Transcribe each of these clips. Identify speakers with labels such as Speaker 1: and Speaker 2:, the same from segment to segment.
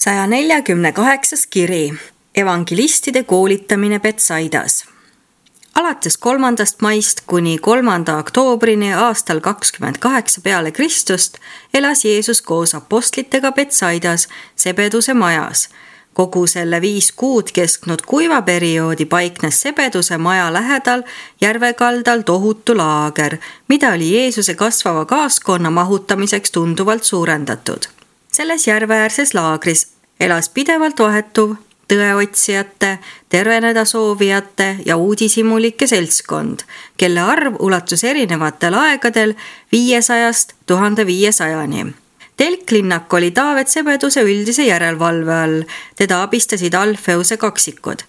Speaker 1: 148. kiri. Evangelistide koolitamine Betsaidas. Alates 3. maist kuni 3. oktoobrini aastal 28 peale Kristust elas Jeesus koos apostlitega Betsaidas Sebeduse majas. Kogu selle 5 kuud kestnud kuivaperioodi paiknes Sebeduse maja lähedal järvekaldal tohutu laager, mida oli Jeesuse kasvava kaaskonna mahutamiseks tunduvalt suurendatud. Selles järveäärses laagris elas pidevalt vahetuv tõeotsijate, terveneda soovijate ja uudishimulike seltskond, kelle arv ulatus erinevatel aegadel 500-st 1500-ni. Telklinnak oli Taavet Sebeduse üldise järelevalve all, teda abistasid Alfeuse kaksikud.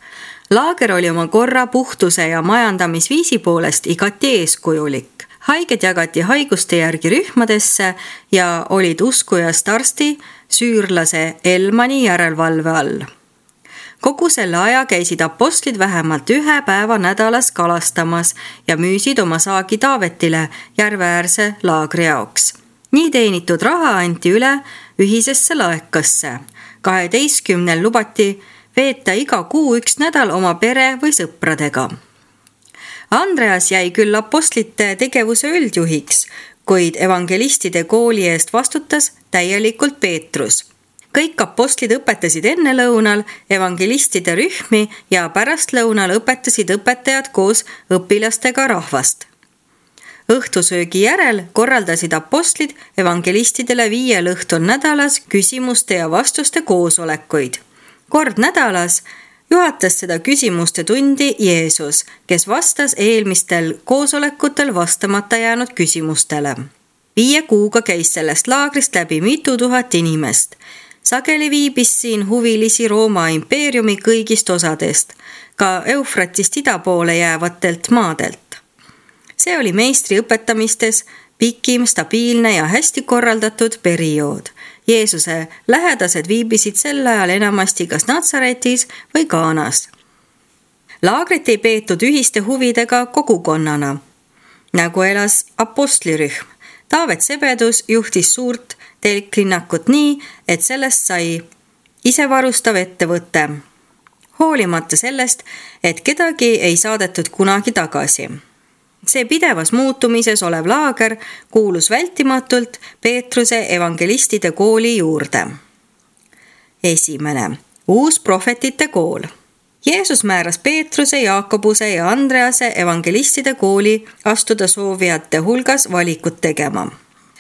Speaker 1: Laager oli oma korra, puhtuse ja majandamisviisi poolest igati eeskujulik. Haiged jagati haiguste järgi rühmadesse ja olid uskujast arsti, süürlase Elmani järelevalve all. Kogu selle aja käisid apostlid vähemalt 1 päeva nädalas kalastamas ja müüsid oma saagi Taavetile järveäärse laagri jaoks. Nii teenitud raha anti üle ühisesse laekasse. 12 lubati veeta iga kuu 1 nädal oma pere või sõpradega. Andreas jäi küll apostlite tegevuse üldjuhiks, kuid evangelistide kooli eest vastutas täielikult Peetrus. Kõik apostlid õpetasid enne lõunal evangelistide rühmi ja pärast lõunal õpetasid õpetajad koos õpilastega rahvast. Õhtusöögi järel korraldasid apostlid evangelistidele 5 õhtul nädalas küsimuste ja vastuste koosolekuid. Kord nädalas juhatas seda küsimuste tundi Jeesus, kes vastas eelmistel koosolekutel vastamata jäänud küsimustele. 5 kuuga käis sellest laagrist läbi mitu tuhat inimest. Sageli viibis siin huvilisi Rooma impeeriumi kõigist osadest, ka Eufratist ida poole jäävatelt maadelt. See oli meistri õpetamistes pikim, stabiilne ja hästi korraldatud periood. Jeesuse lähedased viibisid sel ajal enamasti kas Natsaretis või Kaanas. Laagrit ei peetud ühiste huvidega kogukonnana, nagu elas apostlirühm. Taavet Sebedus juhtis suurt telklinnakut nii, et sellest sai isevarustav ettevõte, hoolimata sellest, et kedagi ei saadetud kunagi tagasi. See pidevas muutumises olev laager kuulus vältimatult Peetruse evangelistide kooli juurde. 1. Uus prohvetite kool. Jeesus määras Peetruse, Jaakobuse ja Andrease evangelistide kooli astuda soovijate hulgas valikut tegema.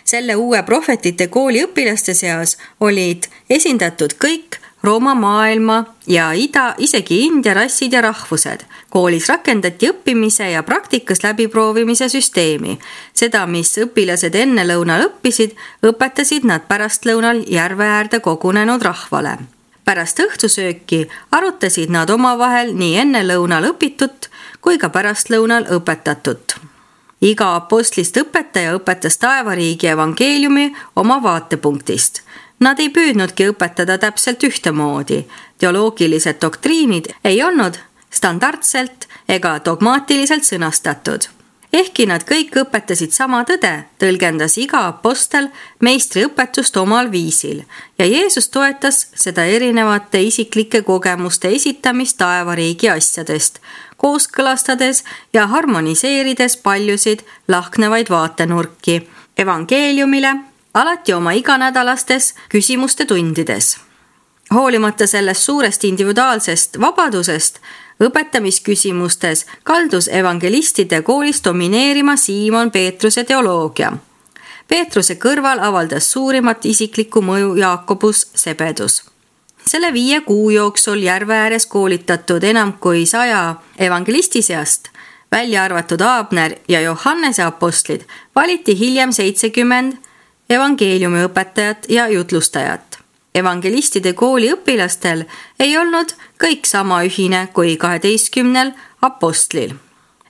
Speaker 1: Selle uue prohvetite kooli õpilaste seas olid esindatud kõik Rooma maailma ja ida, isegi India rassid ja rahvused. Koolis rakendati õppimise ja praktikas läbiproovimise süsteemi. Seda, mis õpilased enne lõunal õppisid, õpetasid nad pärastlõunal järveäärde kogunenud rahvale. Pärast õhtusööki arutasid nad omavahel nii enne lõunal õpitut kui ka pärastlõunal õpetatut. Iga apostlist õpetaja õpetas taevariigi evangeeliumi oma vaatepunktist. Nad ei püüdnudki õpetada täpselt ühtemoodi. Teoloogilised doktriinid ei olnud standardselt ega dogmaatiliselt sõnastatud. Ehkki nad kõik õpetasid sama tõde, tõlgendas iga apostel meistri õpetust omal viisil ja Jeesus toetas seda erinevate isiklike kogemuste esitamist taevariigi asjadest, kooskõlastades ja harmoniseerides paljusid lahknevaid vaatenurki evangeeliumile, alati oma iganädalastes küsimuste tundides. Hoolimata sellest suurest individuaalsest vabadusest, õpetamisküsimustes kaldus evangelistide koolis domineerima Siimon Peetruse teoloogia. Peetruse kõrval avaldas suurimat isiklikku mõju Jaakobus Sebedus. Selle 5 kuu jooksul järve ääres koolitatud enam kui 100 evangelisti seast, välja arvatud Aabner ja Johannese apostlid, valiti hiljem 70 evangeeliumi õpetajat ja jutlustajat. Evangelistide kooli õpilastel ei olnud kõik sama ühine kui 12 apostlil.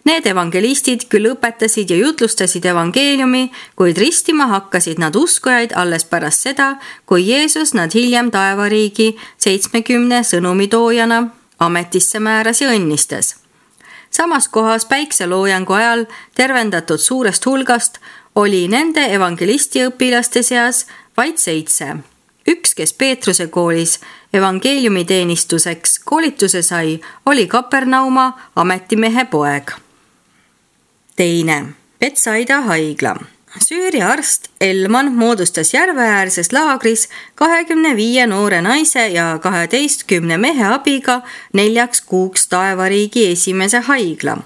Speaker 1: Need evangelistid küll õpetasid ja jutlustasid evangeeliumi, kuid ristima hakkasid nad uskujaid alles pärast seda, kui Jeesus nad hiljem taevariigi 70 sõnumitoojana ametisse määras ja õnnistas. Samas kohas päikseloojangu ajal tervendatud suurest hulgast oli nende evangelisti õpilaste seas vaid 7. Üks, kes Peetruse koolis evangeeliumiteenistuseks koolituse sai, oli Kapernauma ametimehe poeg. Teine, Betsaida haigla. Süüria arst Elman moodustas järveäärses laagris 25 noore naise ja 12 mehe abiga 4 kuuks taevariigi esimese haigla.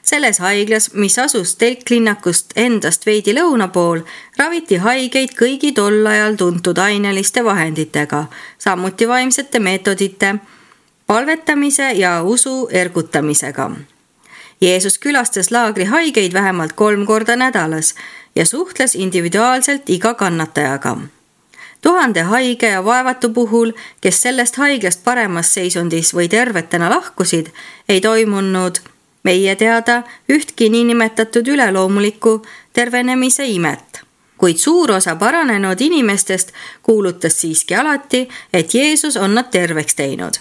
Speaker 1: Selles haiglas, mis asus telklinnakust endast veidi lõuna pool, raviti haigeid kõigi tol ajal tuntud aineliste vahenditega, samuti vaimsete meetodite, palvetamise ja usu ergutamisega. Jeesus külastas laagri haigeid vähemalt 3 korda nädalas ja suhtles individuaalselt iga kannatajaga. 1000 haige ja vaevatu puhul, kes sellest haiglast paremas seisundis või tervetena lahkusid, ei toimunud meie teada ühtki niinimetatud üleloomulikku tervenemise imet. Kuid suur osa paranenud inimestest kuulutas siiski alati, et Jeesus on nad terveks teinud.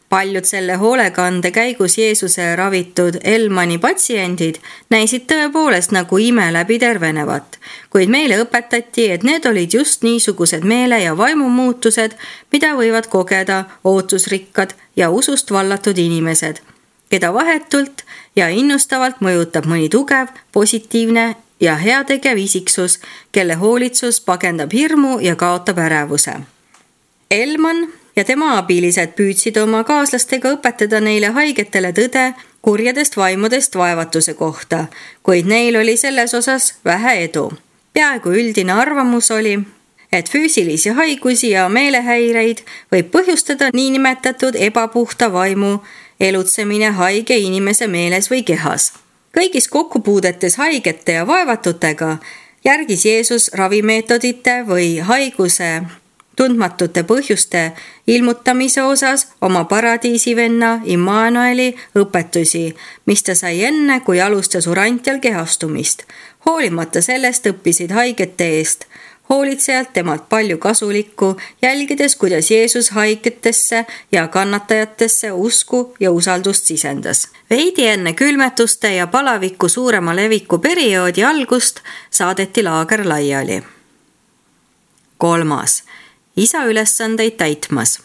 Speaker 1: Paljud selle hoolekande käigus Jeesuse ravitud Elmani patsiendid näisid tõepoolest nagu ime läbi tervenevat, kuid meile õpetati, et need olid just niisugused meele- ja vaimumuutused, mida võivad kogeda ootusrikkad ja usust vallatud inimesed, keda vahetult ja innustavalt mõjutab mõni tugev, positiivne ja heategev isiksus, kelle hoolitsus pagendab hirmu ja kaotab ärevuse. Elman ja tema abilised püüdsid oma kaaslastega õpetada neile haigetele tõde kurjadest vaimudest vaevatuse kohta, kuid neil oli selles osas vähe edu. Peaaegu üldine arvamus oli, et füüsilisi haigusi ja meelehäireid võib põhjustada niinimetatud ebapuhta vaimu elutsemine haige inimese meeles või kehas. Kõigis kokkupuudetes haigete ja vaevatutega järgis Jeesus ravimeetodite või haiguse tundmatute põhjuste ilmutamise osas oma paradiisivenna Immanueli õpetusi, mis ta sai enne, kui alustas Urantial kehastumist. Hoolimata sellest õppisid haigete eest hoolitsejalt temalt palju kasulikku, jälgides, kuidas Jeesus haigetesse ja kannatajatesse usku ja usaldust sisendas. Veidi enne külmetuste ja palaviku suurema leviku perioodi algust saadeti laager laiali. 3. Isa ülesandeid täitmas.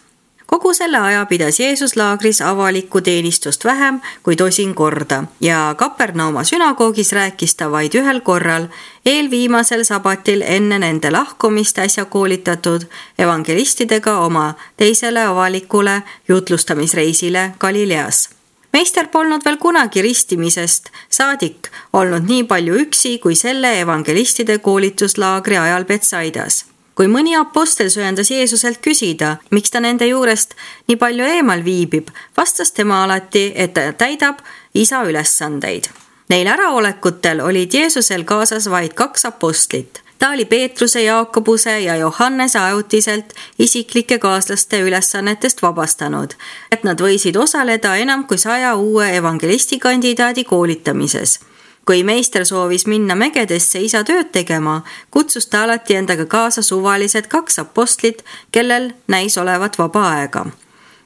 Speaker 1: Kogu selle aja pidas Jeesus laagris avalikku teenistust vähem kui 10 korda ja Kapernauma sünagoogis rääkis ta vaid 1 korral, eelviimasel sabatil enne nende lahkumist äsja koolitatud evangelistidega oma teisele avalikule jutlustamisreisile Galileas. Meister polnud veel kunagi ristimisest saadik olnud nii palju üksi kui selle evangelistide koolituslaagri ajal Betsaidas. Kui mõni apostel söandas Jeesuselt küsida, miks ta nende juurest nii palju eemal viibib, vastas tema alati, et ta täidab isa ülesandeid. Neil äraolekutel olid Jeesusel kaasas vaid 2 apostlit. Ta oli Peetruse, Jaakobuse ja Johannese ajutiselt isiklike kaaslaste ülesannetest vabastanud, et nad võisid osaleda enam kui 100 uue evangelistikandidaadi koolitamises. Kui meister soovis minna mägedesse isa tööd tegema, kutsus ta alati endaga kaasa suvalised 2 apostlit, kellel näis olevat vaba aega.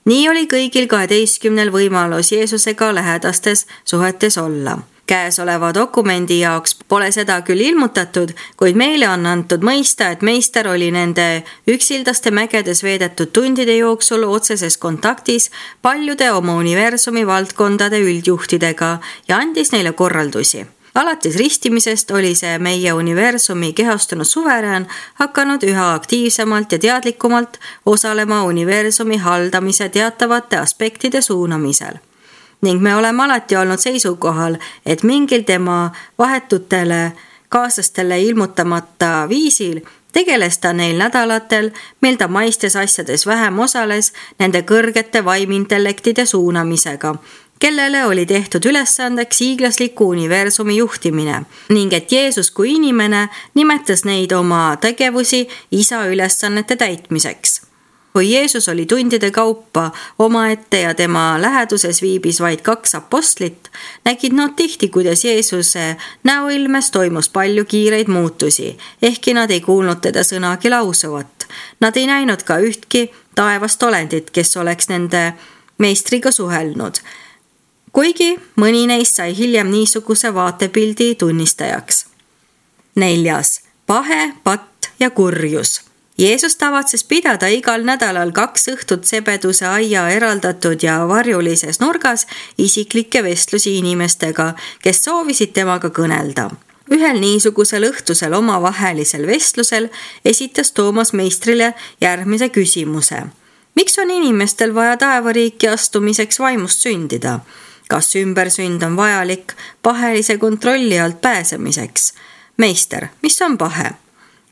Speaker 1: Nii oli kõigil 12 võimalus Jeesusega lähedastes suhetes olla. Käesoleva dokumendi jaoks pole seda küll ilmutatud, kuid meile on antud mõista, et meister oli nende üksildaste mägedes veedetud tundide jooksul otseses kontaktis paljude oma universumi valdkondade üldjuhtidega ja andis neile korraldusi. Alates ristimisest oli see meie universumi kehastunud suverään hakanud üha aktiivsemalt ja teadlikumalt osalema universumi haldamise teatavate aspektide suunamisel. Ning me oleme alati olnud seisukohal, et mingil tema vahetutele kaaslastele ilmutamata viisil tegeles ta neil nädalatel, mil ta maistes asjades vähem osales, nende kõrgete vaimintellektide suunamisega, kellele oli tehtud ülesandeks hiiglasliku universumi juhtimine ning et Jeesus kui inimene nimetas neid oma tegevusi isa ülesannete täitmiseks. Kui Jeesus oli tundide kaupa omaette ja tema läheduses viibis vaid 2 apostlit, nägid nad tihti, kuidas Jeesuse näoilmes toimus palju kiireid muutusi, ehkki nad ei kuulnud teda sõnagi lausuvat. Nad ei näinud ka ühtki taevast olendit, kes oleks nende meistriga suhelnud, kuigi mõni neist sai hiljem niisuguse vaatepildi tunnistajaks. 4. Pahe, patt ja kurjus. Jeesus tavatses pidada igal nädalal 2 õhtut Sebeduse aia eraldatud ja varjulises nurgas isiklikke vestlusi inimestega, kes soovisid temaga kõnelda. Ühel niisugusel õhtusel omavahelisel vestlusel esitas Toomas meistrile järgmise küsimuse. Miks on inimestel vaja taevariiki astumiseks vaimust sündida? Kas ümbersünd on vajalik pahelise kontrolli alt pääsemiseks? Meister, mis on pahe?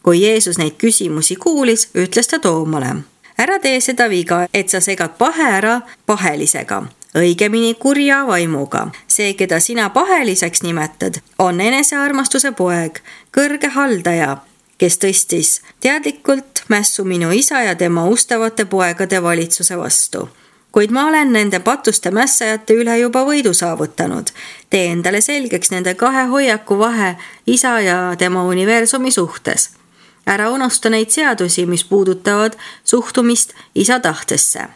Speaker 1: Kui Jeesus neid küsimusi kuulis, ütles ta Toomale. Ära tee seda viga, et sa segad pahe ära pahelisega, õigemini kurja vaimuga. See, keda sina paheliseks nimetad, on enesearmastuse poeg, kõrge haldaja, kes tõstis teadlikult mässu minu isa ja tema ustavate poegade valitsuse vastu. Kuid ma olen nende patuste mässajate üle juba võidu saavutanud. Tee endale selgeks nende 2 hoiaku vahe isa ja tema universumi suhtes. Ära unusta neid seadusi, mis puudutavad suhtumist isa tahtesse.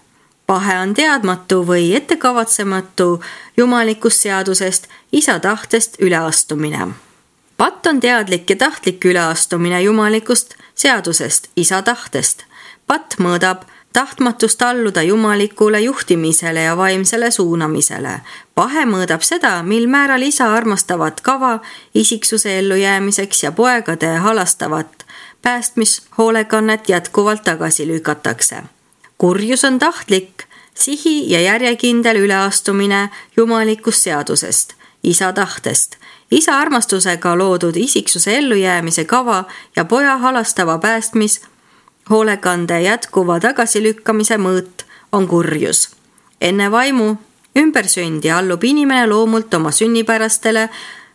Speaker 1: Pahe on teadmatu või ettekavatsematu jumalikust seadusest isa tahtest üleastumine. Patt on teadlik ja tahtlik üleastumine jumalikust seadusest isa tahtest. Patt mõõdab tahtmatust alluda jumalikule juhtimisele ja vaimsele suunamisele. Pahe mõõdab seda, mil määral isa armastavat kava isiksuse ellujäämiseks ja poegade halastavat päästmishoolekannet jätkuvalt tagasi lükatakse. Kurjus on tahtlik, sihi ja järjekindel üleastumine jumalikust seadusest, isa tahtest. Isa armastusega loodud isiksuse ellujäämise kava ja poja halastava hoolekande jätkuva tagasilükkamise mõõt on kurjus. Enne vaimu ümbersündi allub inimene loomult oma sünnipärastele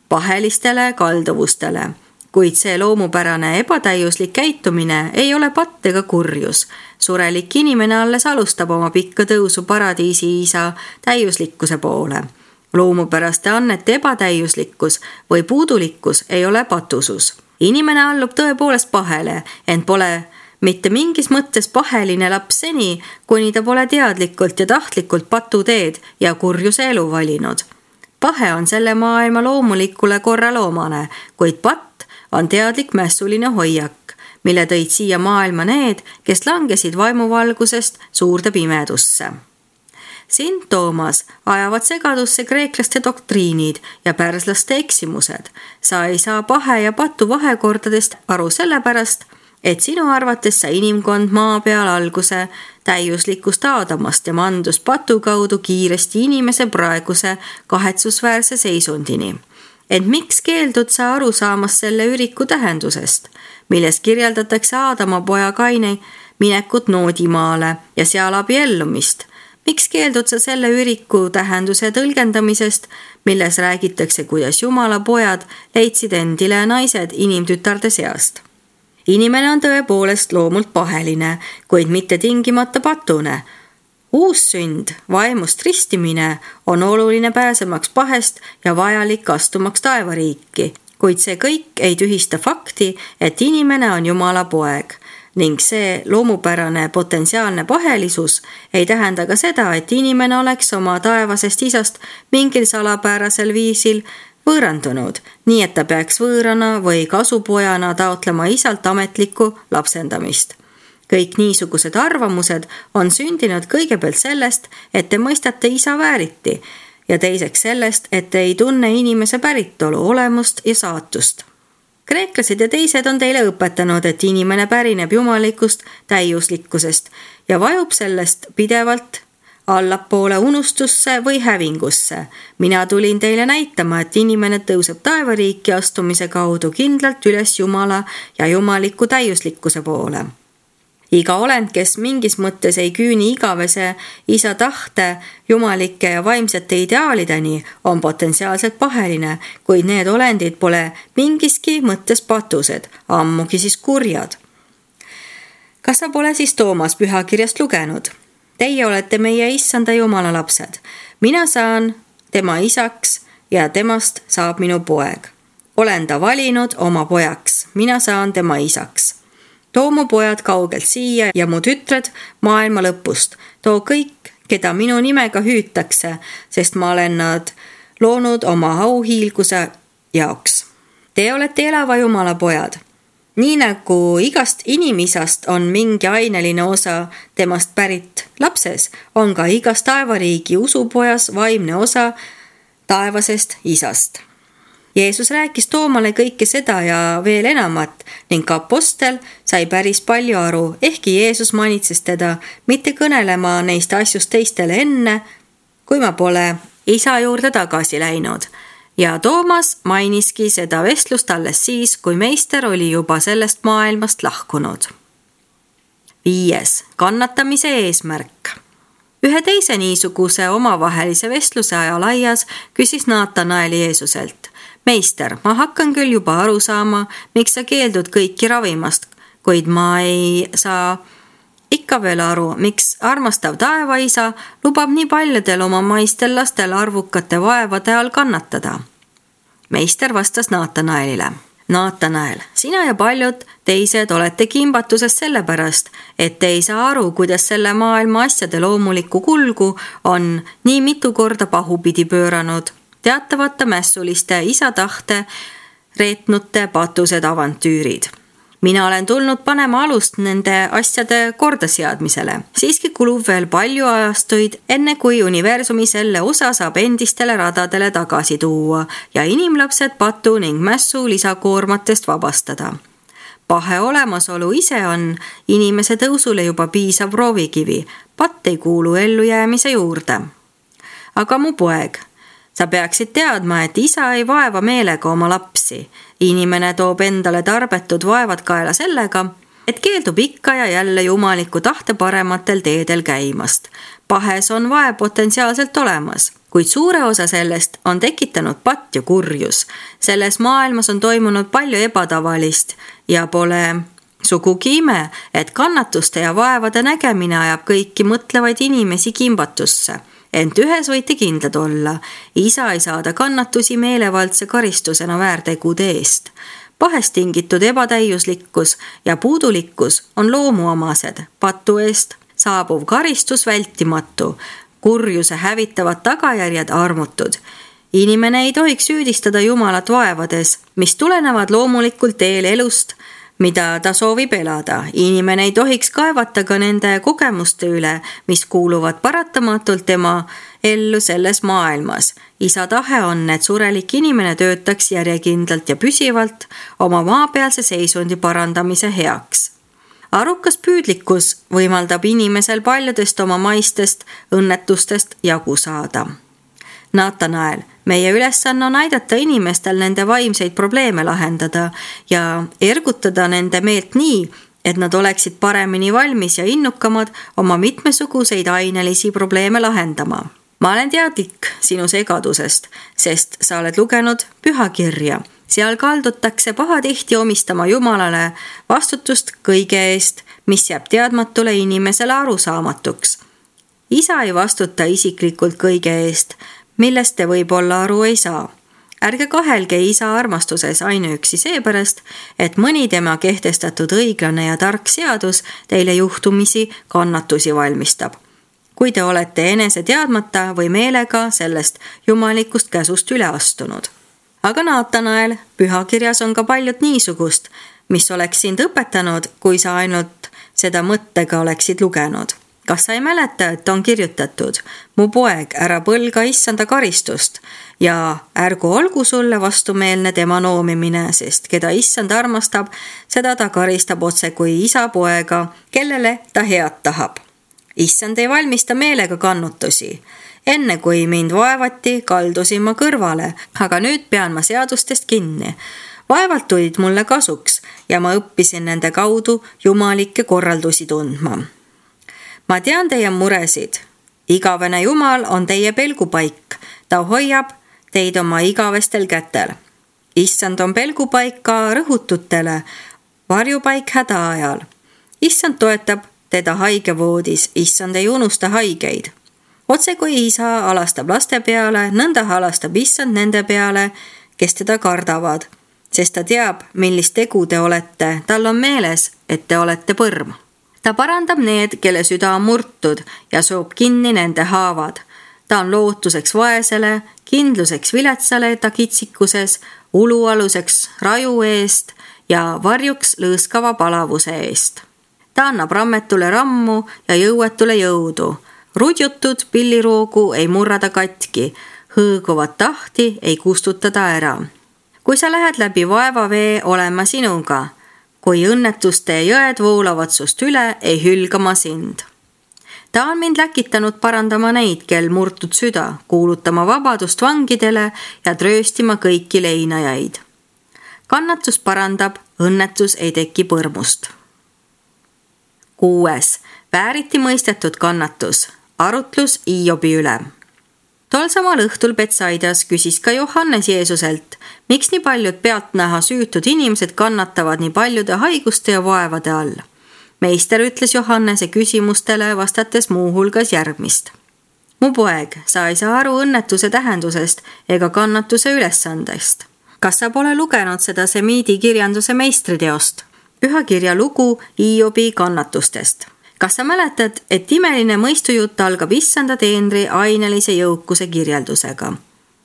Speaker 1: pahelistele kalduvustele, kuid see loomupärane ebatäiuslik käitumine ei ole patt ega kurjus. Surelik inimene alles alustab oma pikka tõusu paradiisi isa täiuslikkuse poole. Loomupäraste annete ebatäiuslikkus või puudulikkus ei ole patusus. Inimene allub tõepoolest pahele, ent pole mitte mingis mõttes paheline laps seni, kuni ta pole teadlikult ja tahtlikult patuteed ja kurjuse elu valinud. Pahe on selle maailma loomulikule korraloomane, kuid patt on teadlik mässuline hoiak, mille tõid siia maailma need, kes langesid vaimuvalgusest suurde pimedusse. Sind, Toomas, ajavad segadusse kreeklaste doktriinid ja pärslaste eksimused. Sa ei saa pahe ja patu vahekordadest aru sellepärast, et sinu arvates sai inimkond maa peal alguse täiuslikust Aadamast ja mandus patu kaudu kiiresti inimese praeguse kahetsusväärse seisundini. Ent miks keeldud sa aru saamas selle üriku tähendusest, milles kirjeldatakse Aadama poja Kaini minekut Noodimaale ja seal abiellumist? Miks keeldud sa selle üriku tähenduse tõlgendamisest, milles räägitakse, kuidas Jumala pojad leidsid endile naised inimtütarde seast? Inimene on tõepoolest loomult paheline, kuid mitte tingimata patune. Uus sünd, vaimust ristimine, on oluline pääsemaks pahest ja vajalik astumaks taevariiki, kuid see kõik ei tühista fakti, et inimene on Jumala poeg. Ning see loomupärane potentsiaalne pahelisus ei tähenda ka seda, et inimene oleks oma taevasest isast mingil salapärasel viisil võõrandunud, nii et ta peaks võõrana või kasupojana taotlema isalt ametlikku lapsendamist. Kõik niisugused arvamused on sündinud kõigepealt sellest, et te mõistate isa vääriti ja teiseks sellest, et te ei tunne inimese päritolu, olemust ja saatust. Kreeklased ja teised on teile õpetanud, et inimene pärineb jumalikust täiuslikkusest ja vajub sellest pidevalt allapoole unustusse või hävingusse. Mina tulin teile näitama, et inimene tõuseb taevariiki astumise kaudu kindlalt üles Jumala ja jumaliku täiuslikkuse poole. Iga olend, kes mingis mõttes ei küüni igavese isa tahte, jumalike ja vaimsete ideaalideni, on potentsiaalselt paheline, kuid need olendid pole mingiski mõttes patused, ammugi siis kurjad. Kas sa pole siis Toomas pühakirjast lugenud? Teie olete meie issanda Jumala lapsed. Mina saan tema isaks ja temast saab minu poeg. Olen ta valinud oma pojaks, mina saan tema isaks. Too mu pojad kaugelt siia ja mu tütred maailma lõpust. Too kõik, keda minu nimega hüütakse, sest ma olen nad loonud oma auhiilguse jaoks. Te olete elava Jumala pojad. Nii nagu igast inimisast on mingi aineline osa temast pärit lapses, on ka igas taevariigi usupojas vaimne osa taevasest isast. Jeesus rääkis Toomale kõike seda ja veel enamat ning ka apostel sai päris palju aru, ehkki Jeesus manitses teda mitte kõnelema neist asjust teistele enne, kui ma pole isa juurde tagasi läinud. Ja Toomas mainiski seda vestlust alles siis, kui meister oli juba sellest maailmast lahkunud. 5. Kannatamise eesmärk. Ühe teise niisuguse omavahelise vestluse ajal aias küsis Naatanael Jeesuselt: meister, ma hakkan küll juba aru saama, miks sa keeldud kõiki ravimast, kuid ma ei saa ikka veel aru, miks armastav taevaisa lubab nii paljudel oma maistel lastel arvukate vaevade all kannatada. Meister vastas Naatanaelile: Naatanael, sina ja paljud teised olete kimbatuses sellepärast, et te ei saa aru, kuidas selle maailma asjade loomulikku kulgu on nii mitu korda pahupidi pööranud teatavate mässuliste isa tahte reetnute patused avantüürid. Mina olen tulnud panema alust nende asjade kordaseadmisele. Siiski kulub veel palju ajastuid, enne kui universumi selle osa saab endistele radadele tagasi tuua ja inimlapsed patu ning mässu lisakoormatest vabastada. Pahe olemasolu ise on inimese tõusule juba piisav proovikivi. Patt ei kuulu ellujäämise juurde. Aga mu poeg, sa peaksid teadma, et isa ei vaeva meelega oma lapsi. Inimene toob endale tarbetud vaevad kaela sellega, et keeldub ikka ja jälle jumaliku tahte parematel teedel käimast. Pahes on vaev potentsiaalselt olemas, kuid suure osa sellest on tekitanud patt ja kurjus. Selles maailmas on toimunud palju ebatavalist ja pole sugugi ime, et kannatuste ja vaevade nägemine ajab kõiki mõtlevaid inimesi kimbatusse. Ent ühes võite kindlad olla, isa ei saada kannatusi meelevaldse karistusena väärtegude eest. Pahest tingitud ebatäiuslikkus ja puudulikkus on loomuomased, patu eest saabuv karistus vältimatu, kurjuse hävitavad tagajärjed armutud. Inimene ei tohiks süüdistada Jumalat vaevades, mis tulenevad loomulikul teel elust, mida ta soovib elada. Inimene ei tohiks kaevata ka nende kogemuste üle, mis kuuluvad paratamatult tema ellu selles maailmas. Isa tahe on, et surelik inimene töötaks järjekindlalt ja püsivalt oma maapealse seisundi parandamise heaks. Arukas püüdlikkus võimaldab inimesel paljudest oma maistest õnnetustest jagu saada. Naatanael, meie ülesanne on aidata inimestel nende vaimseid probleeme lahendada ja ergutada nende meelt nii, et nad oleksid paremini valmis ja innukamad oma mitmesuguseid ainelisi probleeme lahendama. Ma olen teadlik sinu segadusest, sest sa oled lugenud pühakirja. Seal kaldutakse pahatihti omistama Jumalale vastutust kõige eest, mis jääb teadmatule inimesele arusaamatuks. Isa ei vastuta isiklikult kõige eest, millest te võib-olla aru ei saa. Ärge kahelge isa armastuses ainuüksi seepärast, et mõni tema kehtestatud õiglane ja tark seadus teile juhtumisi kannatusi valmistab. Kui te olete enese teadmata või meelega sellest jumalikust käsust üle astunud. Aga Naatanael, pühakirjas on ka paljud niisugust, mis oleks sind õpetanud, kui sa ainult seda mõttega oleksid lugenud. Kas sa ei mäleta, et on kirjutatud: mu poeg, ära põlga issanda karistust ja ärgu olgu sulle vastumeelne tema noomimine, sest keda issand armastab, seda ta karistab otse kui isa poega, kellele ta head tahab. Issand ei valmista meelega kannutusi. Enne kui mind vaevati, kaldusin ma kõrvale, aga nüüd pean ma seadustest kinni. Vaevalt tulid mulle kasuks ja ma õppisin nende kaudu jumalikke korraldusi tundma. Ma tean teie muresid. Igavene Jumal on teie pelgupaik. Ta hoiab teid oma igavestel kätel. Issand on pelgupaik ka rõhututele, varjupaik häda ajal. Issand toetab teda haigevoodis, issand ei unusta haigeid. Otse kui isa alastab laste peale, nõnda alastab issand nende peale, kes teda kardavad, sest ta teab, millist tegu te olete. Tal on meeles, et te olete põrm. Ta parandab need, kelle süda on murtud ja soob kinni nende haavad. Ta on lootuseks vaesele, kindluseks viletsale ta kitsikuses, ulualuseks raju eest ja varjuks lõõskava palavuse eest. Ta annab rammetule rammu ja jõuetule jõudu. Rudjutud pilliroogu ei murrada katki, hõõguvat tahti ei kustutada ära. Kui sa lähed läbi vaevavee, olen ma sinuga. Kui õnnetuste jõed voolavad sust üle, ei hülga ma sind. Ta on mind läkitanud parandama neid, kel murtud süda, kuulutama vabadust vangidele ja trööstima kõiki leinajaid. Kannatus parandab, õnnetus ei teki põrmust. 6. Vääriti mõistetud kannatus. Arutlus Hiobi üle. Tol samal õhtul Betsaidas küsis ka Johannes Jeesuselt, miks nii paljud pealtnäha süütud inimesed kannatavad nii paljude haiguste ja vaevade all. Meister ütles Johannese küsimustele vastates muuhulgas järgmist. Mu poeg, sa ei saa aru õnnetuse tähendusest ega kannatuse ülesandest. Kas sa pole lugenud seda semiidi kirjanduse meistriteost? Pühakirja lugu Hiobi kannatustest. Kas sa mäletad, et imeline mõistujutt algab issanda teenri ainelise jõukuse kirjeldusega?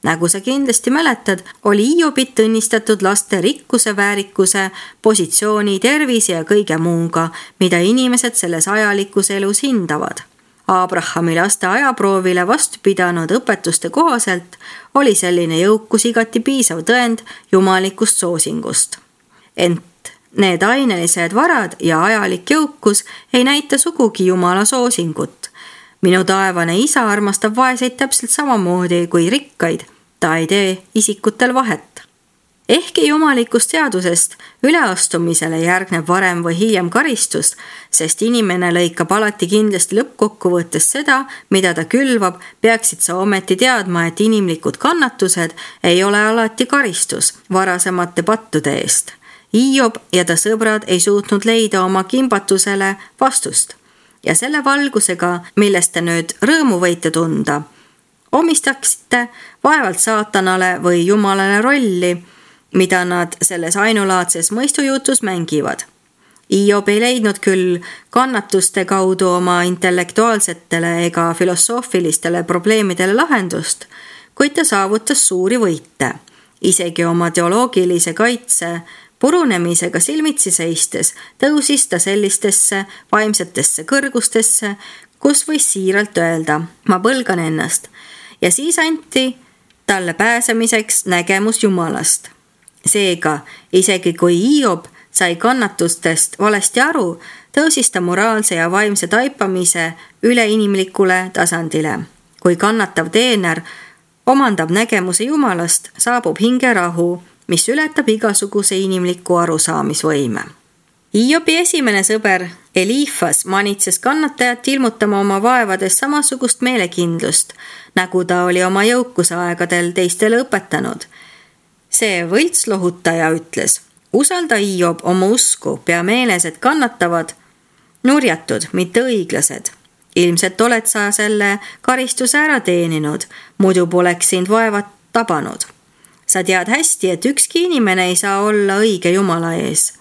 Speaker 1: Nagu sa kindlasti mäletad, oli Hiobit õnnistatud laste rikkuse, väärikuse, positsiooni, tervise ja kõige muuga, mida inimesed selles ajalikus elus hindavad. Abrahami laste ajaproovile vastu pidanud õpetuste kohaselt oli selline jõukus igati piisav tõend jumalikust soosingust. Ent need ainelised varad ja ajalik jõukus ei näita sugugi Jumala soosingut. Minu taevane isa armastab vaeseid täpselt samamoodi kui rikkaid, ta ei tee isikutel vahet. Ehkki jumalikust seadusest üleastumisele järgneb varem või hiljem karistus, sest inimene lõikab alati kindlasti lõppkokkuvõttes seda, mida ta külvab, peaksid sa ometi teadma, et inimlikud kannatused ei ole alati karistus varasemate pattude eest. Hiob ja ta sõbrad ei suutnud leida oma kimbatusele vastust. Ja selle valgusega, millest te nüüd rõõmu võite tunda, omistaksite vaevalt saatanale või jumalale rolli, mida nad selles ainulaadses mõistujutus mängivad. Hiob ei leidnud küll kannatuste kaudu oma intellektuaalsetele ega filosoofilistele probleemidele lahendust, kuid ta saavutas suuri võite. Isegi oma teoloogilise kaitse purunemisega silmitsi seistes tõusis ta sellistesse vaimsetesse kõrgustesse, kus võis siiralt öelda, ma põlgan ennast. Ja siis anti talle pääsemiseks nägemus Jumalast. Seega, isegi kui Hiob sai kannatustest valesti aru, tõusis ta moraalse ja vaimse taipamise üleinimlikule tasandile. Kui kannatav teener omandab nägemuse Jumalast, saabub hingerahu, mis ületab igasuguse inimliku arusaamisvõime. Hiobi esimene sõber Elifas manitses kannatajat ilmutama oma vaevades samasugust meelekindlust, nagu ta oli oma jõukuse aegadel teistele õpetanud. See võitslohutaja ütles, usalda Hiob oma usku, pea meeles, et kannatavad nurjatud, mitte õiglased. Ilmselt oled sa selle karistuse ära teeninud, muidu poleks sind vaevad tabanud. Sa tead hästi, et ükski inimene ei saa olla õige Jumala ees.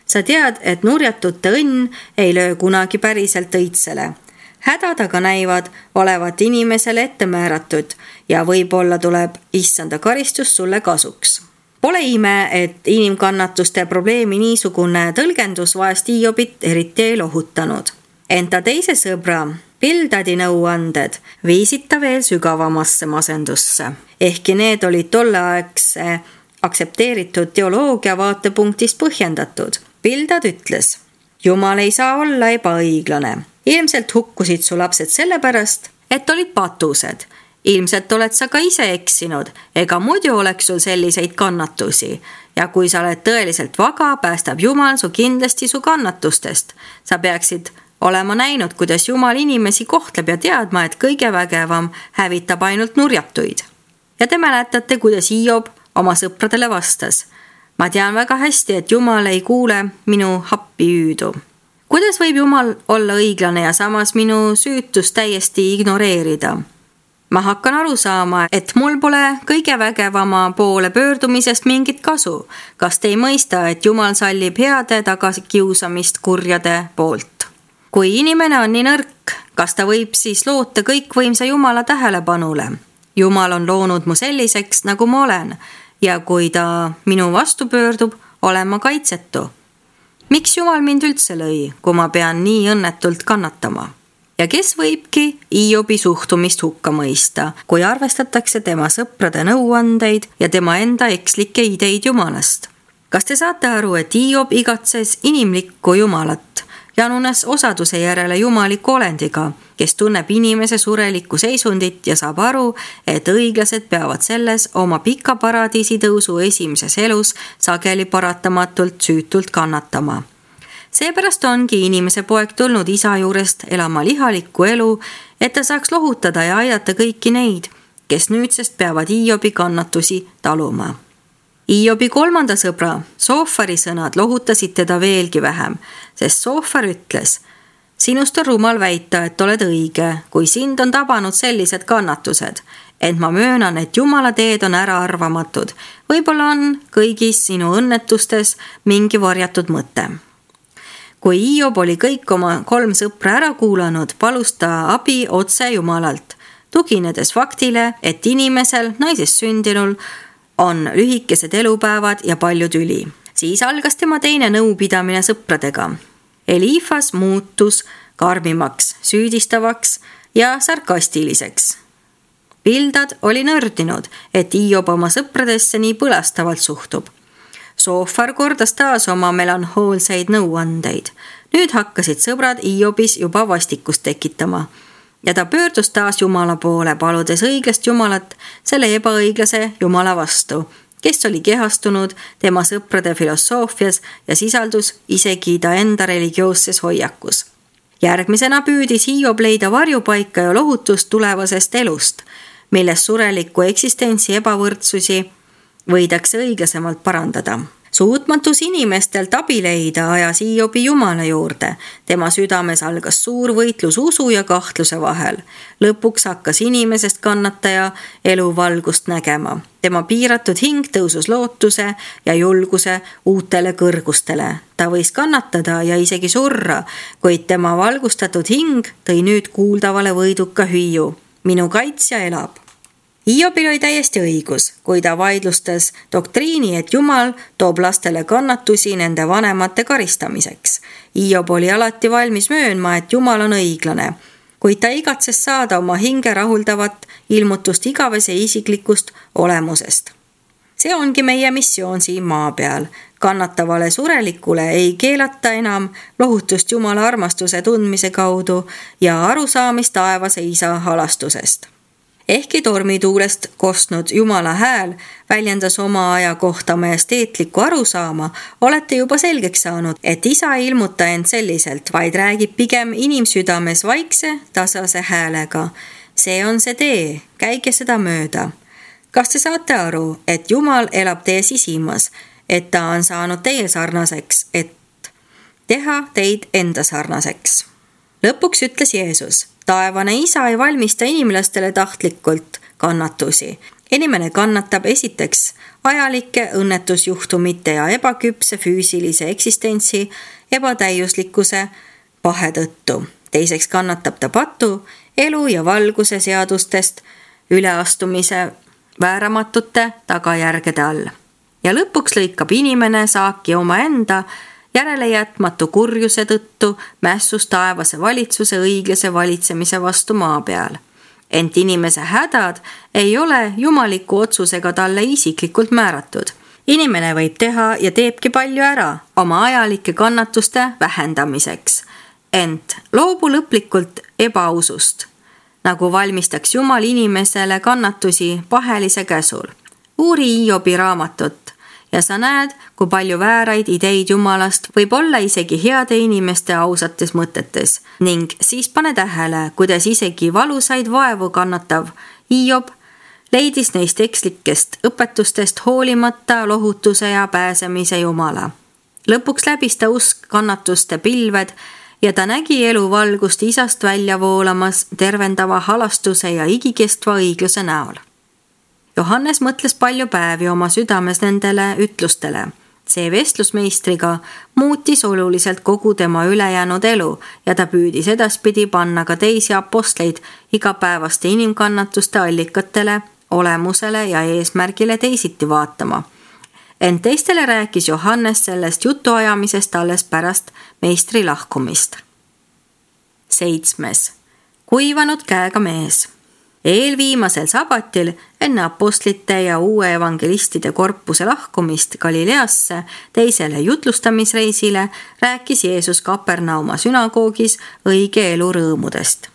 Speaker 1: Sa tead, et nurjatute õnn ei löö kunagi päriselt õitsele. Hädad aga näivad olevat inimesele ette määratud ja võib-olla tuleb issanda karistus sulle kasuks. Pole ime, et inimkannatuste probleemi niisugune tõlgendus vaest Hiobit eriti ei lohutanud. Enta teise sõbra Bildadi nõuanded viisid ta veel sügavamasse masendusse. Ehkki need olid tolleaegse aktsepteeritud teoloogia vaatepunktist põhjendatud. Bildad ütles, Jumal ei saa olla ebaõiglane. Ilmselt hukkusid su lapsed sellepärast, et olid patused. Ilmselt oled sa ka ise eksinud, ega muidu oleks sul selliseid kannatusi. Ja kui sa oled tõeliselt vaga, päästab Jumal su kindlasti su kannatustest. Sa peaksid olema näinud, kuidas Jumal inimesi kohtleb ja teadma, et kõige vägevam hävitab ainult nurjatuid. Ja te mäletate, kuidas Hiob oma sõpradele vastas. Ma tean väga hästi, et Jumal ei kuule minu happi hüüdu. Kuidas võib Jumal olla õiglane ja samas minu süütust täiesti ignoreerida? Ma hakkan aru saama, et mul pole kõige vägevama poole pöördumisest mingit kasu. Kas te ei mõista, et Jumal sallib heade tagakiusamist kurjade poolt? Kui inimene on nii nõrk, kas ta võib siis loota kõikvõimsa Jumala tähelepanule? Jumal on loonud mu selliseks, nagu ma olen, ja kui ta minu vastu pöördub, olen ma kaitsetu. Miks Jumal mind üldse lõi, kui ma pean nii õnnetult kannatama? Ja kes võibki Hiobi suhtumist hukka mõista, kui arvestatakse tema sõprade nõuandeid ja tema enda ekslikke ideid Jumalast? Kas te saate aru, et Hiob igatses inimlikku Jumalat, janunes osaduse järele jumaliku olendiga, kes tunneb inimese surelikku seisundit ja saab aru, et õiglased peavad selles oma pika paradiisi tõusu esimeses elus sageli paratamatult süütult kannatama. Seepärast ongi inimese poeg tulnud isa juurest elama lihalikku elu, et ta saaks lohutada ja aidata kõiki neid, kes nüüdsest peavad Hiobi kannatusi taluma. Hiobi kolmanda sõbra, Soofari sõnad lohutasid teda veelgi vähem, sest Soofar ütles: sinust on rumal väita, et oled õige, kui sind on tabanud sellised kannatused, ent ma möönan, et Jumala teed on äraarvamatud. Võib-olla on kõigis sinu õnnetustes mingi varjatud mõte. Kui Hiob oli kõik oma 3 sõpra ära kuulanud, palus ta abi otse Jumalalt, tuginedes faktile, et inimesel, naisest sündinul, on lühikesed elupäevad ja palju tüli. Siis algas tema teine nõupidamine sõpradega. Eliifas muutus karmimaks, süüdistavaks ja sarkastiliseks. Bildad oli nördinud, et Hiob oma sõpradesse nii põlastavalt suhtub. Soofar kordas taas oma melanhoolseid nõuandeid. Nüüd hakkasid sõbrad Hiobis juba vastikust tekitama. Ja ta pöördus taas Jumala poole, paludes õiglast Jumalat selle ebaõiglase Jumala vastu, kes oli kehastunud tema sõprade filosoofias ja sisaldus isegi ta enda religioosses hoiakus. Järgmisena püüdis Hiob leida varjupaika ja lohutust tulevasest elust, milles surelikku eksistentsi ebavõrdsusi võidakse õiglasemalt parandada. Suutmatus inimestelt abi leida ajas Hiobi Jumala juurde. Tema südames algas suur võitlus usu ja kahtluse vahel. Lõpuks hakkas inimesest kannataja elu valgust nägema. Tema piiratud hing tõusus lootuse ja julguse uutele kõrgustele. Ta võis kannatada ja isegi surra, kuid tema valgustatud hing tõi nüüd kuuldavale võiduka hüüu: minu kaitsja elab. Hiobil oli täiesti õigus, kui ta vaidlustas doktriini, et Jumal toob lastele kannatusi nende vanemate karistamiseks. Hiob oli alati valmis möönma, et Jumal on õiglane, kuid ta igatses saada oma hinge rahuldavat ilmutust igavese isiklikust olemusest. See ongi meie missioon siin maa peal. Kannatavale surelikule ei keelata enam lohutust Jumala armastuse tundmise kaudu ja arusaamist taevase isa halastusest. Ehkki tormituulest kostnud Jumala hääl väljendas oma aja kohta majesteetlikku arusaama, olete juba selgeks saanud, et isa ei ilmuta end selliselt, vaid räägib pigem inimsüdames vaikse, tasase häälega. See on see tee, käige seda mööda. Kas te saate aru, et Jumal elab teie sisimas, et ta on saanud teie sarnaseks, et teha teid enda sarnaseks? Lõpuks ütles Jeesus: taevane isa ei valmista inimlastele tahtlikult kannatusi. Inimene kannatab esiteks ajalike õnnetusjuhtumite ja ebaküpse füüsilise eksistentsi ebatäiuslikkuse pahe tõttu. Teiseks kannatab ta patu, elu ja valguse seadustest üleastumise vääramatute tagajärgede all. Ja lõpuks lõikab inimene saaki omaenda järelejätmatu kurjuse tõttu mässus taevase valitsuse õiglase valitsemise vastu maa peal. Ent inimese hädad ei ole jumaliku otsusega talle isiklikult määratud. Inimene võib teha ja teebki palju ära oma ajalike kannatuste vähendamiseks. Ent loobu lõplikult ebausust, nagu valmistaks Jumal inimesele kannatusi pahelise käsul. Uuri Hiobi raamatut ja sa näed, kui palju vääraid ideid Jumalast võib olla isegi heade inimeste ausates mõtetes ning siis pane tähele, kuidas isegi valusaid vaevu kannatav Hiob leidis neist ekslikest õpetustest hoolimata lohutuse ja pääsemise Jumala. Lõpuks läbis ta usk kannatuste pilved ja ta nägi elu valgust isast välja voolamas tervendava halastuse ja igikestva õigluse näol. Johannes mõtles palju päevi oma südames nendele ütlustele. See vestlusmeistriga muutis oluliselt kogu tema ülejäänud elu ja ta püüdis edaspidi panna ka teisi apostleid igapäevaste inimkannatuste allikatele, olemusele ja eesmärgile teisiti vaatama. ent teistele rääkis Johannes sellest jutuajamisest alles pärast meistri lahkumist. 7. Kuivanud käega mees. Eelviimasel sabatil enne apostlite ja uue evangelistide korpuse lahkumist Galileasse teisele jutlustamisreisile rääkis Jeesus Kapernauma sünagoogis õige elu rõõmudest.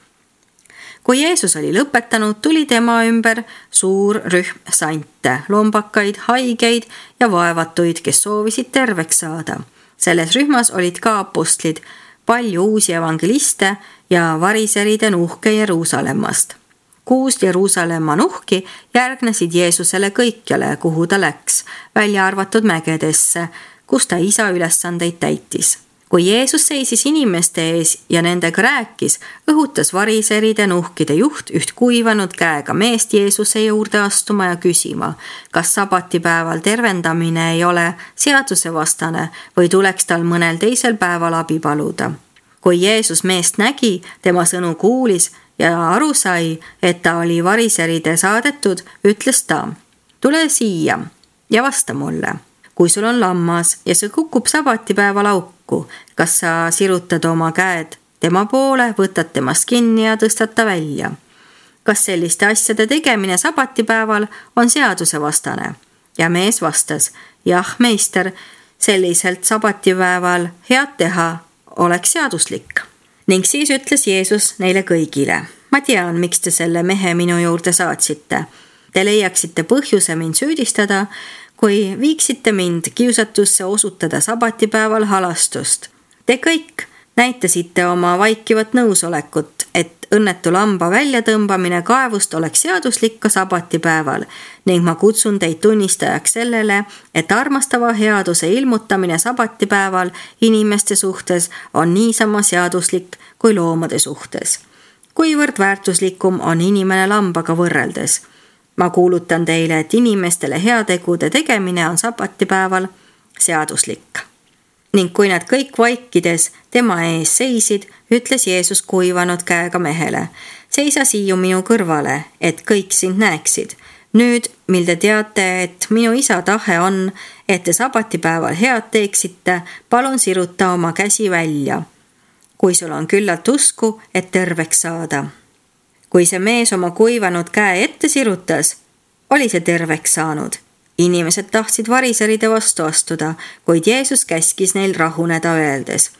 Speaker 1: Kui Jeesus oli lõpetanud, tuli tema ümber suur rühm sante, lombakaid, haigeid ja vaevatuid, kes soovisid terveks saada. Selles rühmas olid ka apostlid, palju uusi evangeliste ja variseride nuhke Jeruusalemmast. 6 Jeruusalemma nuhki järgnesid Jeesusele kõikjale, kuhu ta läks, välja arvatud mägedesse, kus ta isa ülesandeid täitis. Kui Jeesus seisis inimeste ees ja nendega rääkis, õhutas variseride nuhkide juht üht kuivanud käega meest Jeesuse juurde astuma ja küsima, kas sabatipäeval tervendamine ei ole seadusevastane või tuleks tal mõnel teisel päeval abi paluda. Kui Jeesus meest nägi, tema sõnu kuulis ja aru sai, et ta oli variseride saadetud, ütles ta, tule siia ja vasta mulle. Kui sul on lammas ja see kukub sabatipäeval auku, kas sa sirutad oma käed tema poole, võtad temast kinni ja tõstad ta välja? Kas selliste asjade tegemine sabatipäeval on seadusevastane? Ja mees vastas, jah, meister, selliselt sabatipäeval head teha oleks seaduslik. Ning siis ütles Jeesus neile kõigile, ma tean, miks te selle mehe minu juurde saatsite. Te leiaksite põhjuse mind süüdistada, kui viiksite mind kiusatusse osutada sabatipäeval halastust. Te kõik näitasite oma vaikivat nõusolekut, et õnnetu lamba väljatõmbamine kaevust oleks seaduslik ka sabatipäeval ning ma kutsun teid tunnistajaks sellele, et armastava headuse ilmutamine sabatipäeval inimeste suhtes on niisama seaduslik kui loomade suhtes. Kuivõrd väärtuslikum on inimene lambaga võrreldes. Ma kuulutan teile, et inimestele heategude tegemine on sabatipäeval seaduslik. Ning kui nad kõik vaikides tema ees seisid, ütles Jeesus kuivanud käega mehele, seisa siia minu kõrvale, et kõik sind näeksid. Nüüd, mil te teate, et minu isa tahe on, et te sabatipäeval head teeksite, palun siruta oma käsi välja, kui sul on küllalt usku, et terveks saada. Kui see mees oma kuivanud käe ette sirutas, oli see terveks saanud. Inimesed tahtsid variseride vastu astuda, kuid Jeesus käskis neil rahuneda öeldes.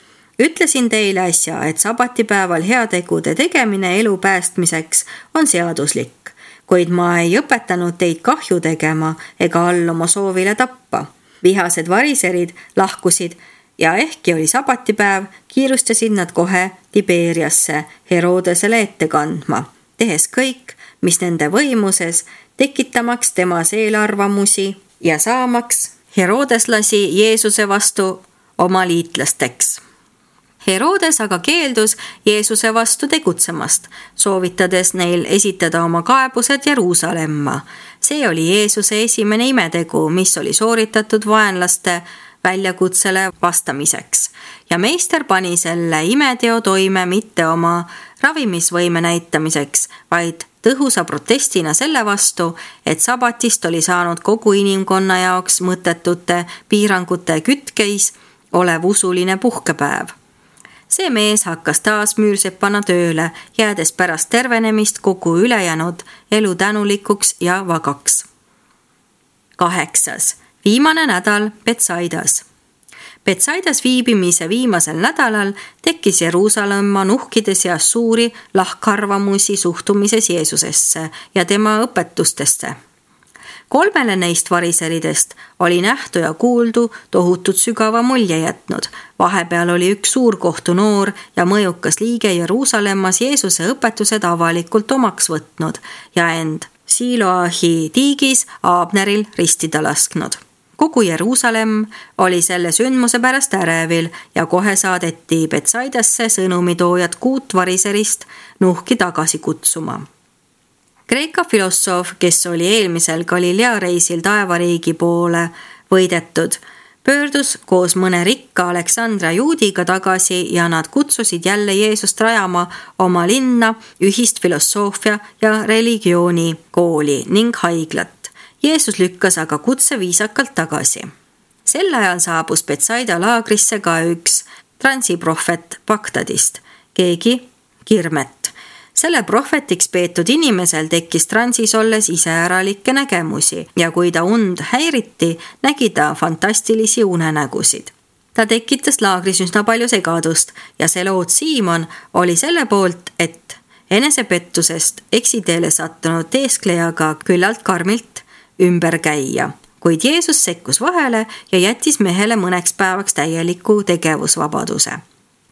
Speaker 1: Ütlesin teile äsja, et sabatipäeval heategude tegemine elu päästmiseks on seaduslik, kuid ma ei õpetanud teid kahju tegema ega alluma soovile tappa. Vihased variserid lahkusid ja ehkki oli sabatipäev, kiirustasid nad kohe Tiberiasse Herodesele ette kandma, tehes kõik, mis nende võimuses, tekitamaks temas eelarvamusi ja saamaks Herodeslasi Jeesuse vastu oma liitlasteks. Herodes aga keeldus Jeesuse vastu tegutsemast, soovitades neil esitada oma kaebused Jeruusalemma. See oli Jeesuse esimene imetegu, mis oli sooritatud vaenlaste väljakutsele vastamiseks. Ja meister pani selle imeteo toime mitte oma ravimisvõime näitamiseks, vaid tõhusa protestina selle vastu, et sabatist oli saanud kogu inimkonna jaoks mõttetute piirangute kütkeis olev usuline puhkepäev. See mees hakkas taas müürsepana tööle, jäädes pärast tervenemist kogu ülejäänud elu tänulikuks ja vagaks. 8. Viimane nädal Betsaidas. Betsaidas viibimise viimasel nädalal tekkis Jeruusalemma nuhkide seas suuri lahkarvamusi suhtumises Jeesusesse ja tema õpetustesse. 3 neist variseridest oli nähtu ja kuuldu tohutut sügava mulje jätnud. Vahepeal oli üks suurkohtu noor ja mõjukas liige Jeruusalemmas Jeesuse õpetused avalikult omaks võtnud ja end Siloahi tiigis Abneril ristida lasknud. Kogu Jeruusalemm oli selle sündmuse pärast ärevil ja kohe saadeti Betsaidasse sõnumitoojad 6 variserist nuhki tagasi kutsuma. Kreeka filosoof, kes oli eelmisel Galilea reisil taevariigi poole võidetud, pöördus koos mõne rikka Aleksandria juudiga tagasi ja nad kutsusid jälle Jeesust rajama oma linna ühist filosoofia ja religiooni kooli ning haiglat Jeesus lükkas aga kutse viisakalt tagasi. Sel ajal saabus Betsaida laagrisse ka üks transiprohvet Bagdadist, keegi Kirmet. Selle prohvetiks peetud inimesel tekkis transis olles iseäralikke nägemusi ja kui ta und häiriti, nägi ta fantastilisi unenägusid. Ta tekitas laagris üsna palju segadust ja Seloot Siimon oli selle poolt, et enesepettusest eksiteele sattunud teesklejaga küllalt karmilt ümber käia. Kuid Jeesus sekkus vahele ja jättis mehele mõneks päevaks täieliku tegevusvabaduse.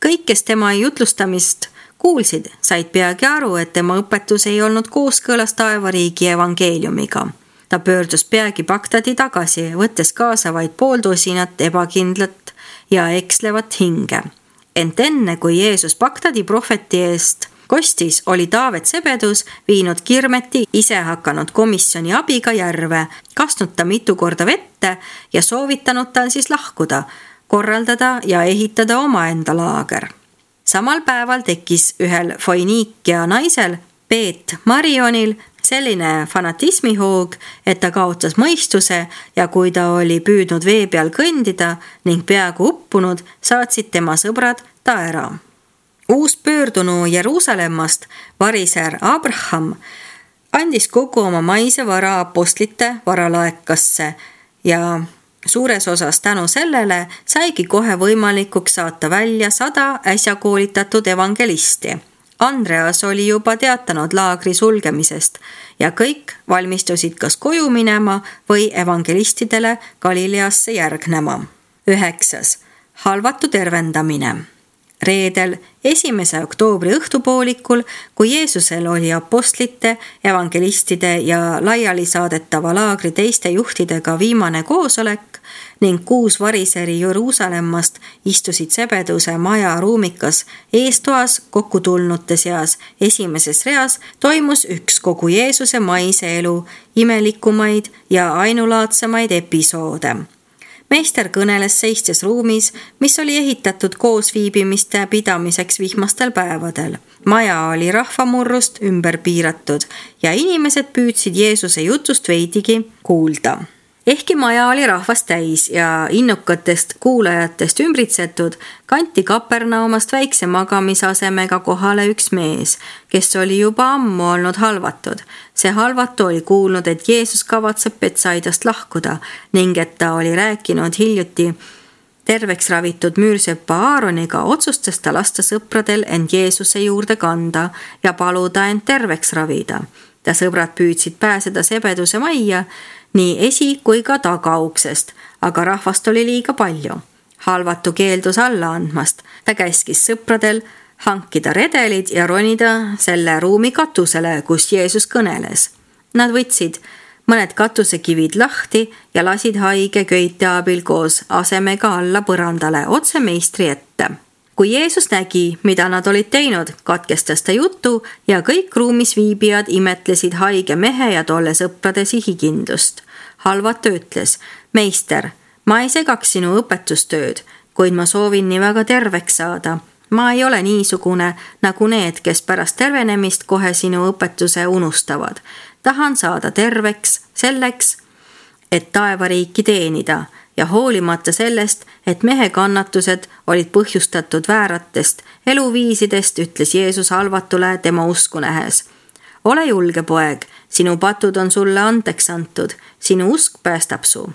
Speaker 1: Kõik, kes tema jutlustamist kuulsid, said peagi aru, et tema õpetus ei olnud kooskõlas taevariigi evangeeliumiga. Ta pöördus peagi Bagdadi tagasi, võttes kaasa vaid pooltosinat ebakindlat ja ekslevat hinge. Ent enne, kui Jeesus Bagdadi prohveti eest kostis, oli Taavet Sebedus viinud Kirmeti ise hakanud komisjoni abiga järve, kastnud ta mitu korda vette ja soovitanud tal siis lahkuda, korraldada ja ehitada omaenda laager. Samal päeval tekkis ühel Foiniikia naisel, Peet Marionil, selline fanatismihoog, et ta kaotas mõistuse ja kui ta oli püüdnud vee peal kõndida ning peaaegu uppunud, saatsid tema sõbrad ta ära. Uus pöördunu Jeruusalemmast, variser Abraham, andis kogu oma maise vara apostlite varalaekasse ja suures osas tänu sellele saigi kohe võimalikuks saata välja 100 äsja koolitatud evangelisti. Andreas oli juba teatanud laagri sulgemisest ja kõik valmistusid kas koju minema või evangelistidele Galileasse järgnema. 9. Halvatu tervendamine. Reedel 1. oktoobri õhtupoolikul, kui Jeesusel oli apostlite, evangelistide ja laiali saadetava laagri teiste juhtidega viimane koosolek ning 6 variseri Jeruusalemmast istusid Sebeduse maja ruumikas eestoas kokkutulnute seas esimeses reas, toimus üks kogu Jeesuse maise elu imelikumaid ja ainulaadsemaid episoode. Meister kõneles seistes ruumis, mis oli ehitatud koosviibimiste pidamiseks vihmastel päevadel. Maja oli rahvamurrust ümber piiratud ja inimesed püüdsid Jeesuse jutust veidigi kuulda. Ehkki maja oli rahvast täis ja innukatest kuulajatest ümbritsetud, kanti Kapernaumast väikse magamisasemega kohale üks mees, kes oli juba ammu olnud halvatud. See halvatu oli kuulnud, et Jeesus kavatseb Betsaidast lahkuda ning et ta oli rääkinud hiljuti terveks ravitud müürsepa Aaroniga, otsustas ta lasta sõpradel end Jeesuse juurde kanda ja paluda end terveks ravida. Ta sõbrad püüdsid pääseda Sebeduse majja nii esi- kui ka tagauksest, aga rahvast oli liiga palju. Halvatu keeldus alla andmast. Ta käskis sõpradel hankida redelid ja ronida selle ruumi katusele, kus Jeesus kõneles. Nad võtsid mõned katusekivid lahti ja lasid haige köite abil koos asemega alla põrandale otse meistri ette. Kui Jeesus nägi, mida nad olid teinud, katkestas ta jutu ja kõik ruumis viibijad imetlesid haige mehe ja tolle sõprade sihikindlust. Halvatu ütles, meister, ma ei segaks sinu õpetustööd, kuid ma soovin nii väga terveks saada. Ma ei ole niisugune nagu need, kes pärast tervenemist kohe sinu õpetuse unustavad. Tahan saada terveks selleks, et taevariiki teenida ja hoolimata sellest, et mehe kannatused olid põhjustatud vääratest eluviisidest, ütles Jeesus halvatule tema usku nähes. Ole julge, poeg, sinu patud on sulle andeks antud, sinu usk päästab su.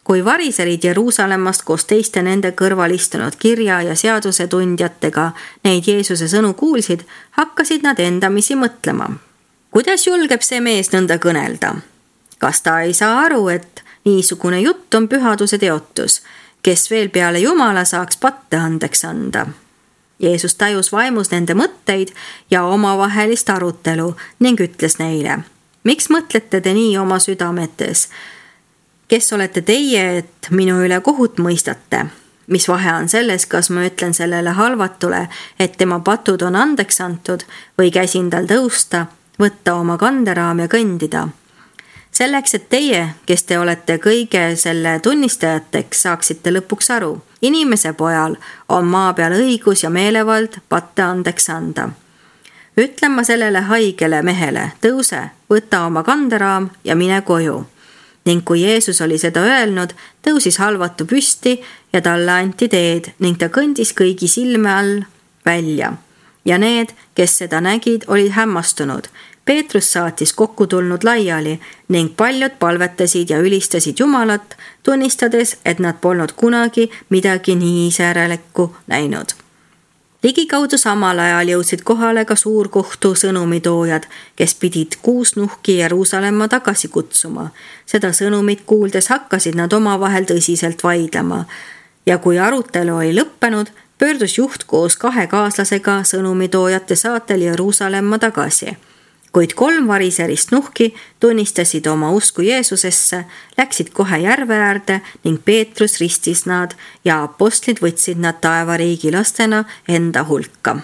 Speaker 1: Kui variserid Jeruusalemmast koos teiste nende kõrval istunud kirja ja seaduse tundjatega neid Jeesuse sõnu kuulsid, hakkasid nad endamisi mõtlema. Kuidas julgeb see mees nõnda kõnelda? Kas ta ei saa aru, et niisugune jutt on pühaduse teotus, kes veel peale Jumala saaks patte andeks anda? Jeesus tajus vaimus nende mõtteid ja omavahelist arutelu ning ütles neile, miks mõtlete te nii oma südametes? Kes olete teie, et minu üle kohut mõistate? Mis vahe on selles, kas ma ütlen sellele halvatule, et tema patud on andeks antud või käsin tal tõusta, võtta oma kanderaam ja kõndida? Selleks, et teie, kes te olete kõige selle tunnistajateks, saaksite lõpuks aru. Inimese pojal on maa peal õigus ja meelevald patte andeks anda. Ütlen ma sellele haigele mehele, tõuse, võta oma kanderaam ja mine koju. ning kui Jeesus oli seda öelnud, tõusis halvatu püsti ja talle anti teed ning ta kõndis kõigi silme all välja. Ja need, kes seda nägid, olid hämmastunud. Peetrus saatis kokku tulnud laiali ning paljud palvetasid ja ülistasid Jumalat, tunnistades, et nad polnud kunagi midagi nii iseäralikku näinud. Ligikaudu samal ajal jõudsid kohale ka suurkohtu sõnumitoojad, kes pidid 6 nuhki Jeruusalemma tagasi kutsuma. Seda sõnumit kuuldes hakkasid nad omavahel tõsiselt vaidlema ja kui arutelu oli lõppenud, pöördus juht koos 2 kaaslasega sõnumitoojate saatel Jeruusalemma tagasi. Kuid 3 variserist nuhki tunnistasid oma usku Jeesusesse, läksid kohe järve äärde ning Peetrus ristis nad ja apostlid võtsid nad taevariigi lastena enda hulka.